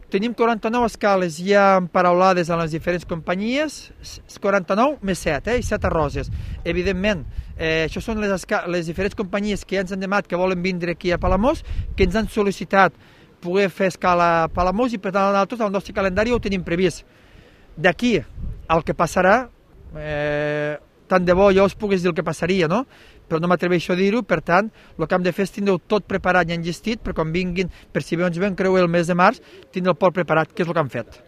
Tenim 49 escales ja emparaulades a les diferents companyies, 49 més 7, i 7 a Roses. Evidentment, això són les diferents companyies que ja ens han demanat que volen vindre aquí a Palamós, que ens han sol·licitat poder fer escala a Palamós i per tant nosaltres el nostre calendari ho tenim previst. D'aquí al que passarà, tant de bo jo us pogués dir el que passaria, no? Però no m'atreveixo a dir-ho, per tant, el que hem de fer és tindre-ho tot preparat i enllestit, per quan vinguin, per si ens ven creuer el mes de març, tindre el port preparat, que és el que hem fet.